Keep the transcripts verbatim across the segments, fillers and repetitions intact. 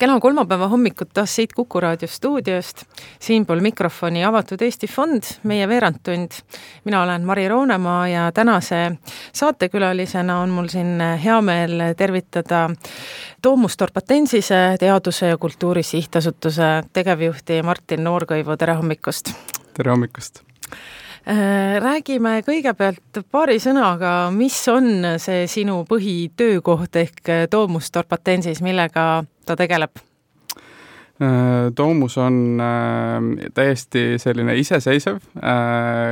Kena kolmapäeva hommikut taas siit Kuku Raadio stuudiost. Siinpool mikrofoni Avatud Eesti Fond, meie veerandtund. Mina olen Mari Roonemaa ja tänase saatekülalisena on mul siin hea meel tervitada Domus Dorpatensise teaduse ja kultuuri sihtasutuse tegevjuhti Martin Noorkõivu. Tere hommikust! Tere hommikust! Räägime kõigepealt paari sõnaga, mis on see sinu põhitöökoht ehk Domus Dorpatensis, millega ta tegeleb? Domus on täiesti selline iseseisev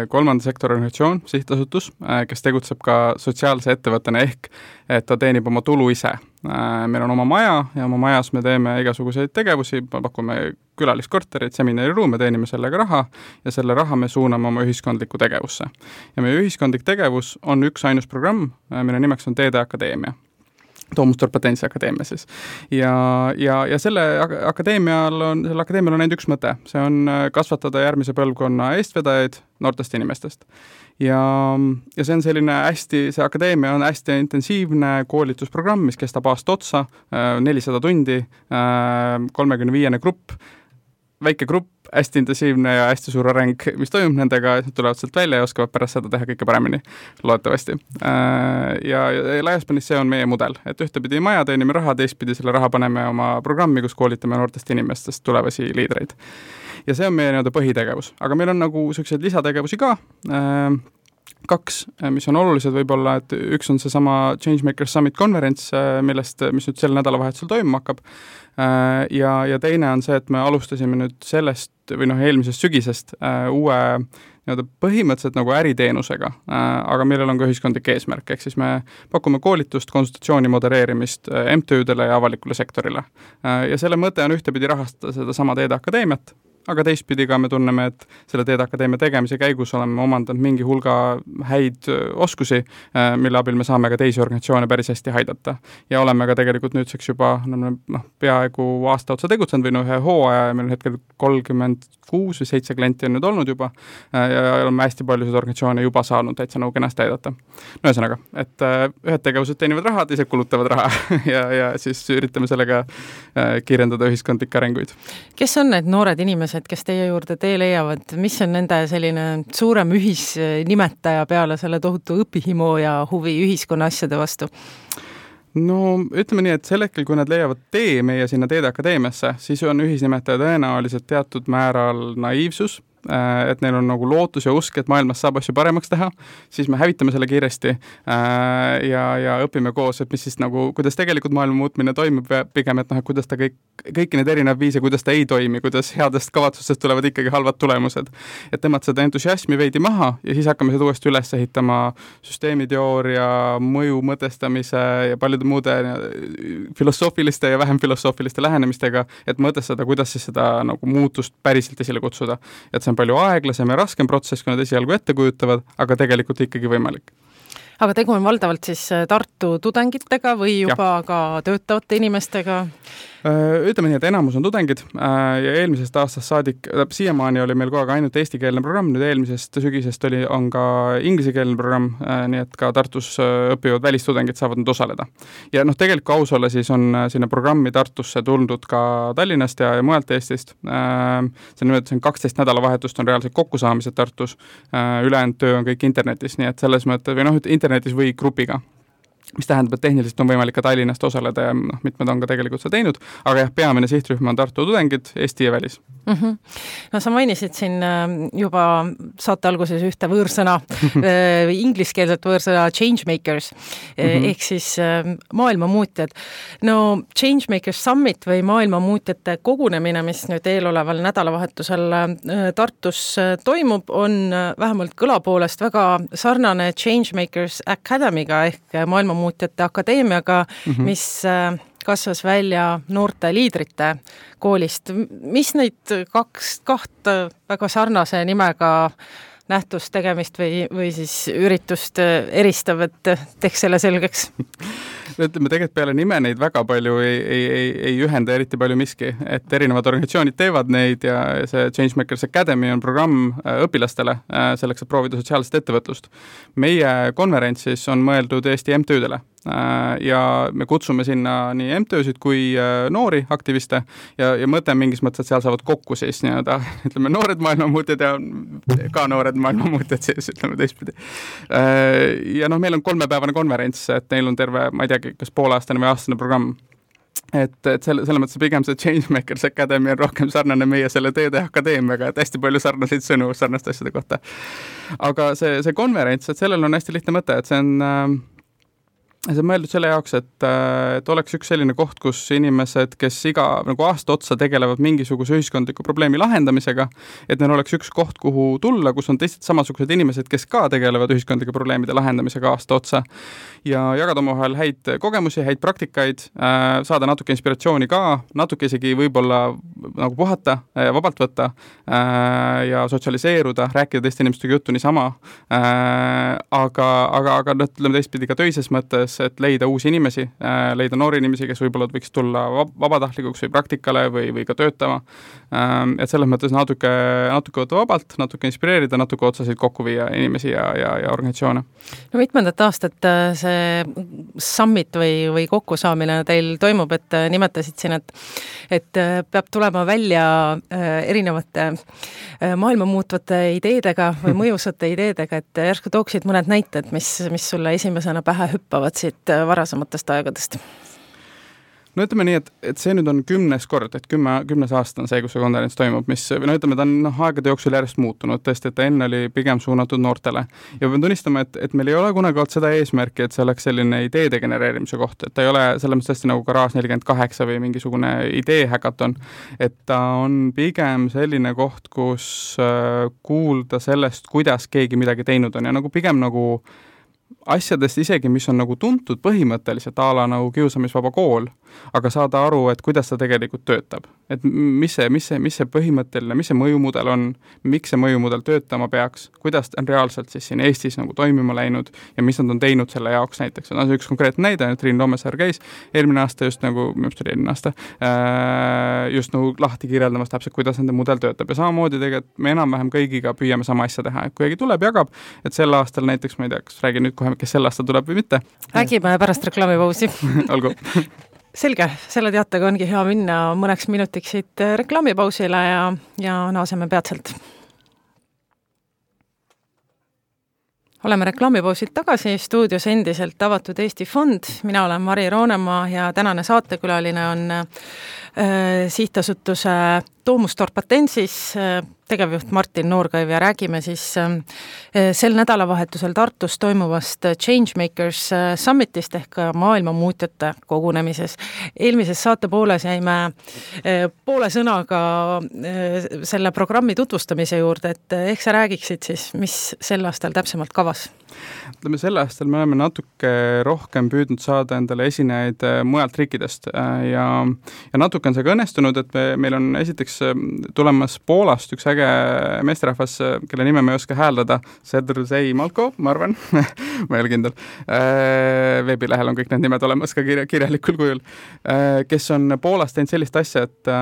kolmanda sektori organisatsioon, sihtasutus, kes tegutseb ka sotsiaalse ettevõttena ehk, et ta teenib oma tulu ise. Meil on oma maja ja oma majas me teeme igasuguseid tegevusi, pakume külaliskorterid, seminariruume, teenime sellega raha ja selle raha me suuname oma ühiskondlikku tegevusse. Ja meie ühiskondlik tegevus on üks ainus programm, mille nimeks on Teede Akadeemia. Domus Dorpatensi akadeemia siis. Ja, ja, ja selle akadeemial on, selle akadeemial on ainult üks mõte. See on kasvatada järgmise põlvkonna eestvedajaid noortest inimestest. Ja, ja see on selline hästi, see akadeemia on hästi intensiivne koolitusprogramm, mis kestab aasta otsa, nelisada tundi, kolmekümne viiene grupp, väike grupp, hästi intensiivne ja hästi suur areng, mis toimub nendega, et nad tulevad sealt välja ja oskavad pärast seda teha kõike paremini, loodetavasti. Ja, ja laiaspanis see on meie mudel, et ühtepidi maja teenime raha, teistpidi selle raha paneme oma programmi, kus koolitame noortest inimestest tulevasi liidreid. Ja see on meie nii-öelda põhitegevus, aga meil on nagu sellised lisategevusi ka, kaks, mis on olulised võib-olla, et üks on see sama Changemakers Summit konverents, millest, mis nüüd sel nädalavahetusel toimuma hakkab. Ja, ja teine on see, et me alustasime nüüd sellest või noh, eelmisest sügisest uue nii-öelda põhimõtteliselt nagu äriteenusega, aga millel on ka ühiskondlik eesmärk, ehk siis me pakume koolitust, konsultatsiooni modereerimist M T Üdele ja avalikule sektorile. Ja selle mõte on ühtepidi rahastada seda sama Teede Akadeemiat, aga teistpidi ka me tunneme, et selle Teede Akadeemia tegemise käigus oleme omandanud mingi hulga häid oskusi, mille abil me saame ka teisi organisatsioone päris hästi haidata. Ja oleme ka tegelikult nüüdseks juba no, peaaegu aasta otsa tegutsenud või no ühe hooaja ja meil on hetkel kolmkümmend kuus või seitse klienti on nüüd olnud juba ja oleme hästi paljusid organisatsioone juba saanud täitsa nagu kenasti aidata. No ühesõnaga, et ühed tegevused teenivad raha, teised kulutavad raha ja, ja siis üritame sellega kiirendada ühiskondlikke arenguid. Kes on need noored inimesed, kes teie juurde tee leiavad? Mis on nende selline suurem ühisnimetaja peale selle tohutu õpihimu ja huvi ühiskonna asjade vastu? No ütleme nii, et sel hetkel, kui nad leiavad tee meie sinna Teede Akadeemiasse, siis on ühisnimetaja tõenäoliselt teatud määral naiivsus, et neil on nagu lootus ja usk, et maailmas saab asju paremaks teha, siis me hävitame selle kiiresti ja, ja õpime koos, et mis siis nagu, kuidas tegelikult maailma muutmine toimub ja pigem, et noh, et kuidas ta kõik, kõiki need erinevad viise, kuidas ta ei toimi, kuidas headest kavatsustest tulevad ikkagi halvad tulemused. Et temad seda entusiasmi veidi maha ja siis hakkame seda uuesti üles ehitama süsteemiteooria, mõju mõtestamise ja paljude muude filosoofiliste ja vähem filosoofiliste lähenemistega, et mõtestada, kuidas siis seda nagu muutust päriselt esile kutsuda. Et see on palju aeglasem ja raskem protsess, kui nad esialgu ette kujutavad, aga tegelikult ikkagi võimalik. Aga tegu on valdavalt siis Tartu tudengitega või juba ja. Ka töötavate inimestega? Ütleme nii, et enamus on tudengid ja eelmisest aastast saadik, siiamaani oli meil kogu aeg ainult eestikeelne programm, nüüd eelmisest sügisest oli, on ka inglisekeelne programm, nii et ka Tartus õppivad välistudengid saavad nüüd osaleda. Ja noh, tegelikult aus olla siis on sinna programmi Tartusse tulnud ka Tallinnast ja, ja mujalt Eestist. See on, see on kaksteist nädalavahetust on reaalselt kokkusaamised Tartus, ülejäänud töö on kõik internetis, nii et selles mõttes, või noh, internetis või grupiga. Mis tähendab, et tehniliselt on võimalik ka Tallinnast osaleda ja noh, mitmed on ka tegelikult seda teinud, aga jah, peamine sihtrühm on Tartu tudengid, Eesti ja välis. Mm-hmm. No sa mainisid siin juba saate alguses ühte võõrsõna, ingliskeelset võõrsõna Changemakers, mm-hmm. ehk siis maailmamuutjad. No Changemakers Summit või maailmamuutjate kogunemine, mis nüüd eeloleval nädalavahetusel Tartus toimub, on vähemalt kõlapoolest väga sarnane Changemakers Academy'ga ehk maailmamuutjate akadeemiaga, mm-hmm. mis kasvas välja noorte liidrite koolist. Mis neid kaks, kaht väga sarnase nimega nähtust tegemist või, või siis üritust eristab, et teeks selle selgeks? Ütleme, tegelikult peale nime neid väga palju ei, ei, ei, ei ühenda eriti palju miski, et erinevad organisatsioonid teevad neid ja see Changemakers Academy on programm õpilastele selleks, et proovida sotsiaalset ettevõtlust. Meie konverentsis on mõeldud Eesti M T Üdele ja me kutsume sinna nii M T Ö-sid kui noori aktiviste ja, ja mõte mingis mõttes, et seal saavad kokku siis nii-öelda, ütleme, noored maailmamuutjad ja ka noored maailmamuutjad siis, ütleme teistpidi. Ja noh, meil on kolmepäevane konverents, et neil on terve, ma ei teagi, kas pooleaastane või aastane programm. Et, et selle, selle mõttes pigem see Changemakers Academy on rohkem sarnane meie selle Teede Akadeemiaga, et hästi palju sarnaseid sõnu sarnaste asjade kohta. Aga see, see konverents, et sellel on hästi lihtne mõte, et see on, see on mõeldud selle jaoks, et, et oleks üks selline koht, kus inimesed, kes iga nagu aasta otsa tegelevad mingisuguse ühiskondliku probleemi lahendamisega, et neil oleks üks koht, kuhu tulla, kus on teised samasugused inimesed, kes ka tegelevad ühiskondlike probleemide lahendamisega aasta otsa ja jagada omavahel häid kogemusi, häid praktikaid, saada natuke inspiratsiooni ka, natuke isegi võib-olla nagu puhata, vabalt võtta ja sotsialiseeruda, rääkida teiste inimestega juttu niisama, aga, aga, aga ütleme teistpidi ka töises mõttes, et leida uusi inimesi, leida noori inimesi, kes võib-olla võiks tulla vabatahtlikuks või praktikale või, või ka töötama. Et selles mõttes natuke, natuke võtta vabalt, natuke inspireerida, natuke otsasid kokku viia inimesi ja, ja, ja organisatsioone. No mitmendat aastat see summit või, või kokkusaamine teil toimub, et nimetasid siin, et, et peab tulema välja erinevate maailma muutvate ideedega või mõjusate ideedega, et järsku tooksid mõned näited, mis, mis sulle esimesena pähe hüppavad siit varasematest aegadest? No ütleme nii, et, et see nüüd on kümnes kord, et kümme, kümnes aasta on see, kus see konverents toimub, mis, no ütleme, ta on no, aegade jooksul järjest muutunud, tõesti, et ta enne oli pigem suunatud noortele. Ja pean tunnistama, et, et meil ei ole kunagi olnud seda eesmärki, et see oleks selline ideede genereerimise koht, et ta ei ole selles mõttes tõesti nagu Garage nelikümmend kaheksa või mingisugune idee häkaton, et ta on pigem selline koht, kus äh, kuulda sellest, kuidas keegi midagi teinud on ja nagu pigem nagu asjadest isegi, mis on nagu tuntud põhimõtteliselt ala nagu kiusamisvaba kool, aga saada aru, et kuidas ta tegelikult töötab. Et mis see, mis see, mis see põhimõtteline, mis see mõjumudel on, miks see mõjumudel töötama peaks, kuidas on reaalselt siis siin Eestis nagu toimima läinud ja mis nad on teinud selle jaoks näiteks. No, see üks konkreetne näide, et Triin Loomesaar käis eelmine aasta just nagu, mis oli eelmine aasta, just nagu lahti kirjeldamas täpselt, kuidas nende mudel töötab. Ja samamoodi tegelikult me enam-vähem kõigiga püüame sama asja teha. Kui keegi tuleb, jagab, et sel aastal näiteks, ma ei tea, kas räägin nüüd kohe, kes sel aastal tuleb või mitte. Räägime pärast reklaamipausi. Olgu. Selge, selle teatega ongi hea minna mõneks minutiks siit reklaamipausile ja, ja naaseme peatselt. Oleme reklaamipausilt tagasi, stuudios endiselt avatud Eesti Fond. Mina olen Mari Roonemaa ja tänane saatekülaline on äh, sihtasutuse Domustor Patensis äh, tegevjuht Martin Noorkaiv ja räägime siis äh, sel nädalavahetusel Tartus toimuvast Changemakers äh, Summitist ehk maailma muutjate kogunemises. Eelmises saate pooles jäime äh, poole sõnaga äh, selle programmi tutvustamise juurde, et äh, ehk sa räägiksid siis, mis sel aastal täpsemalt kavas? Ütleme, sel aastal me oleme natuke rohkem püüdnud saada endale esinejaid mujalt riikidest ja, ja natuke on see ka õnnestunud, et me, meil on esiteks tulemas Poolast üks äge meesterahvas, kelle nime ma ei oska hääldada, Sedrzej Malko, ma arvan, ma ei ole kindel. Veebilehel on kõik need nimed olemas ka kirja, kirjalikul kujul, kes on Poolast teinud sellist asja, et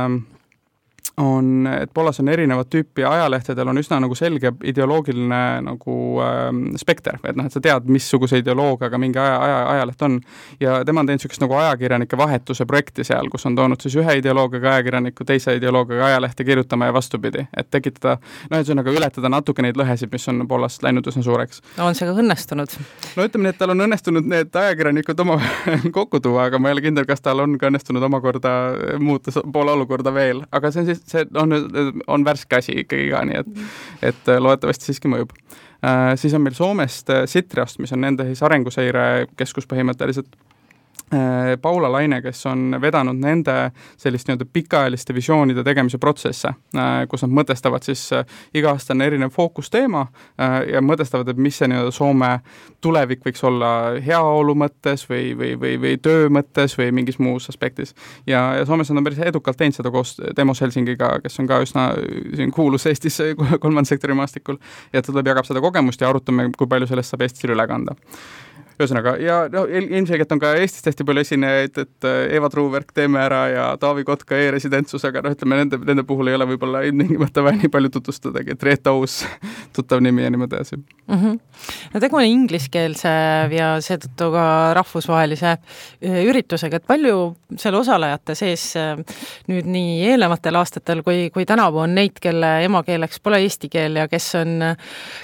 on, et Poolas on erinevat tüüpi ajalehtedel on üsna nagu selge ideoloogiline nagu äh, spekter, et noh, et sa tead, missuguse ideoloogiaga mingi aja, aja, ajaleht on ja tema on teinud sellist nagu ajakirjanike vahetuse projekti seal, kus on toonud siis ühe ideoloogiaga ajakirjaniku teise ideoloogiaga ajalehte kirjutama ja vastupidi, et tekitada, noh, et see on aga ületada natuke neid lõhesid, mis on Poolast läinud üsna suureks. No on see ka õnnestunud? No ütleme nii, et tal on õnnestunud need ajakirjanikud oma kokku tuua, aga ma ei ole kindel, kas tal on ka õnnestunud omakorda muuta Poola olukorda veel, aga see on siis see on, on värske asi ikkagi ka, nii et, et loodetavasti siiski mõjub. Äh, siis on meil Soomest Sitrast, mis on nende siis arenguseire keskus põhimõtteliselt Paula Laine, kes on vedanud nende sellist nii-öelda pikaajaliste visioonide tegemise protsesse, kus nad mõtestavad siis iga-aastane erinev fookusteema ja mõtestavad, et mis see nii-öelda Soome tulevik võiks olla heaolu mõttes või, või, või, või töö mõttes või mingis muus aspektis. Ja, ja Soomes on päris edukalt teinud seda koos Demos Helsingiga, kes on ka üsna siin kuulus Eestis kolmanda sektori maastikul ja ta tuleb jagab seda kogemust ja arutame, kui palju sellest saab Eestis üle kanda. ühesõnaga, ja no, ilmselgelt on ka Eestis hästi palju esinejaid, et Eva Truuverk, Teeme ära ja Taavi Kotka e-residentsus, aga no ütleme, nende, nende puhul ei ole võib-olla ilmtingimata vaja nii palju tutvustadagi, et Reeta Uus, tuttav nimi ja niimoodi edasi. Mm -hmm. No tegu on ingliskeelse ja seetõttu ka rahvusvahelise üritusega, et palju seal osalejate sees nüüd nii eelnevatel aastatel kui, kui tänavu on neid, kelle emakeeleks pole eesti keel ja kes on,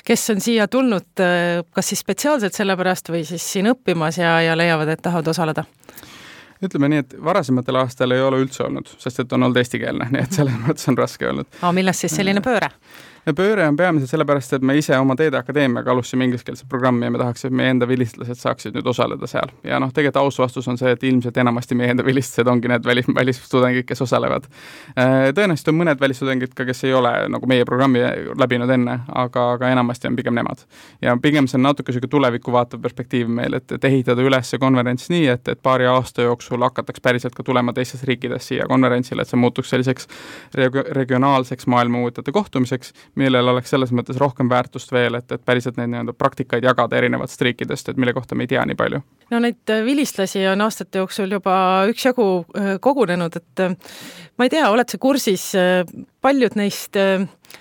kes on siia tulnud kas siis spetsiaalselt sellepärast või siis siin õppimas ja, ja leiavad, et tahavad osaleda? Ütleme nii, et varasematel aastal ei ole üldse olnud, sest et on olnud eestikeelne, nii et selles mõttes on raske olnud. Aga millest siis selline pööre? Ja pööre on peamiselt sellepärast, et me ise oma Teede Akadeemiaga alustasime ingliskeelse programmi ja me tahaks, et meie enda vilistlased saaksid nüüd osaleda seal. Ja noh, tegelikult aus vastus on see, et ilmselt enamasti meie enda vilistlased ongi need välis, välistudengid, kes osalevad. Tõenäoliselt on mõned välistudengid ka, kes ei ole nagu meie programmi läbinud enne, aga, aga enamasti on pigem nemad. Ja pigem see on natuke selline tulevikku vaatav perspektiiv meil, et, et ehitada üles see konverents nii, et, et paari aasta jooksul hakataks päriselt ka tulema teistes riikides siia konverentsile, et see muutuks selliseks reg- regionaalseks maailmamõõtjate kohtumiseks, millel oleks selles mõttes rohkem väärtust veel, et, et päriselt neid nii-öelda praktikaid jagada erinevatest riikidest, et mille kohta me ei tea nii palju. No neid vilistlasi on aastate jooksul juba üksjagu kogunenud, et ma ei tea, oled sa kursis, paljud neist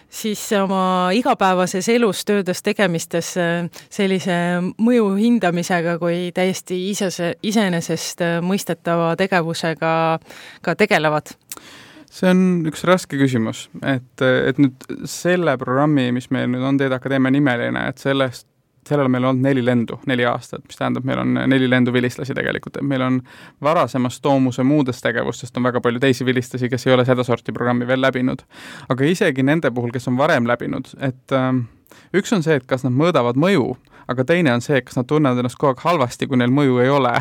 siis oma igapäevases elus, töödes, tegemistes sellise mõju hindamisega kui täiesti isese, iseenesest mõistetava tegevusega ka tegelevad? See on üks raske küsimus, et, et nüüd selle programmi, mis meil nüüd on Teede Akadeemia nimeline, et sellest, sellel meil on olnud neli lendu, neli aastat, mis tähendab, meil on neli lendu vilistlasi tegelikult, et meil on varasemast Toomuse muudest tegevustest on väga palju teisi vilistlasi, kes ei ole seda sorti programmi veel läbinud. Aga isegi nende puhul, kes on varem läbinud, et ähm, üks on see, et kas nad mõõdavad mõju, aga teine on see, kas nad tunnevad ennast kogu aeg halvasti, kui neil mõju ei ole.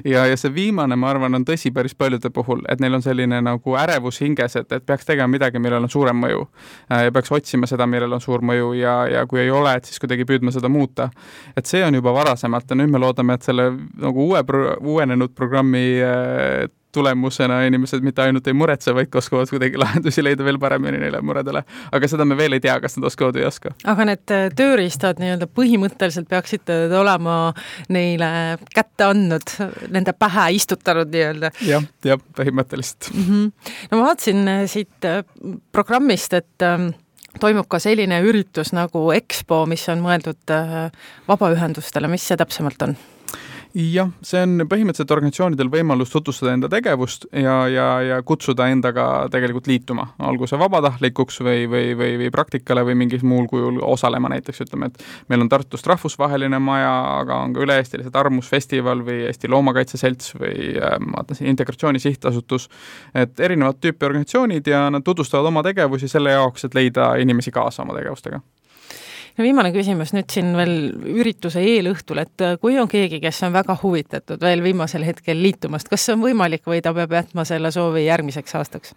ja, ja see viimane, ma arvan, on tõsi päris paljude puhul, et neil on selline nagu ärevus hinges, et, et peaks tegema midagi, millel on suurem mõju. Ja peaks otsima seda, millel on suur mõju ja, ja kui ei ole, et siis kuidagi püüdma seda muuta. Et see on juba varasemalt ja nüüd me loodame, et selle nagu uue, uuenenud programmi tulemusena inimesed mitte ainult ei muretse, vaid oskavad kuidagi lahendusi leida veel paremini neile muredele. Aga seda me veel ei tea, kas nad oskavad või ei oska. Aga need tööriistad nii-öelda põhimõtteliselt peaksid olema neile kätte andnud, nende pähe istutanud nii-öelda. Jah, jah, põhimõtteliselt. Mm-hmm. No ma vaatsin siit programmist, et toimub ka selline üritus nagu Expo, mis on mõeldud vabaühendustele. Mis see täpsemalt on? Jah, see on põhimõtteliselt organisatsioonidel võimalus tutvustada enda tegevust ja, ja, ja kutsuda endaga tegelikult liituma, olgu see vabatahtlikuks või, või, või, või praktikale või mingis muul kujul osalema näiteks, ütleme, et meil on Tartust rahvusvaheline maja, aga on ka üle-eestilised Armusfestival või Eesti Loomakaitseselts või ma vaatan siin Integratsiooni Sihtasutus, et erinevad tüüpi organisatsioonid ja nad tutvustavad oma tegevusi selle jaoks, et leida inimesi kaasa oma tegevustega. Ja viimane küsimus nüüd siin veel ürituse eelõhtul, et kui on keegi, kes on väga huvitatud veel viimasel hetkel liitumast, kas see on võimalik või ta peab jätma selle soovi järgmiseks aastaks?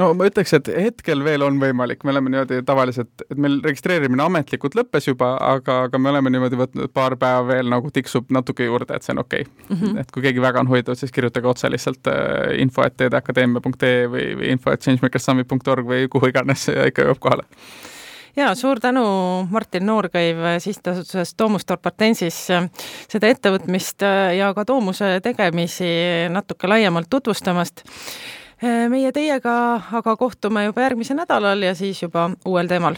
No ma ütleks, et hetkel veel on võimalik, me oleme niimoodi tavaliselt, et meil registreerimine ametlikult lõppes juba, aga, aga me oleme niimoodi võtnud paar päeva veel nagu tiksub natuke juurde, et see on okei. Okay. Mm-hmm. Et kui keegi väga on huvitatud, siis kirjutage otse lihtsalt info et teedeakadeemia punkt ee või, või info et changemakersummit punkt org või kuhu iganes ja ikka jõuab kohale. Ja, suur tänu Martin Noorkõiv sihtasutusest Domus Torpartensis seda ettevõtmist ja ka Doomuse tegemisi natuke laiemalt tutvustamast. Meie teiega aga kohtume juba järgmise nädalal ja siis juba uuel teemal.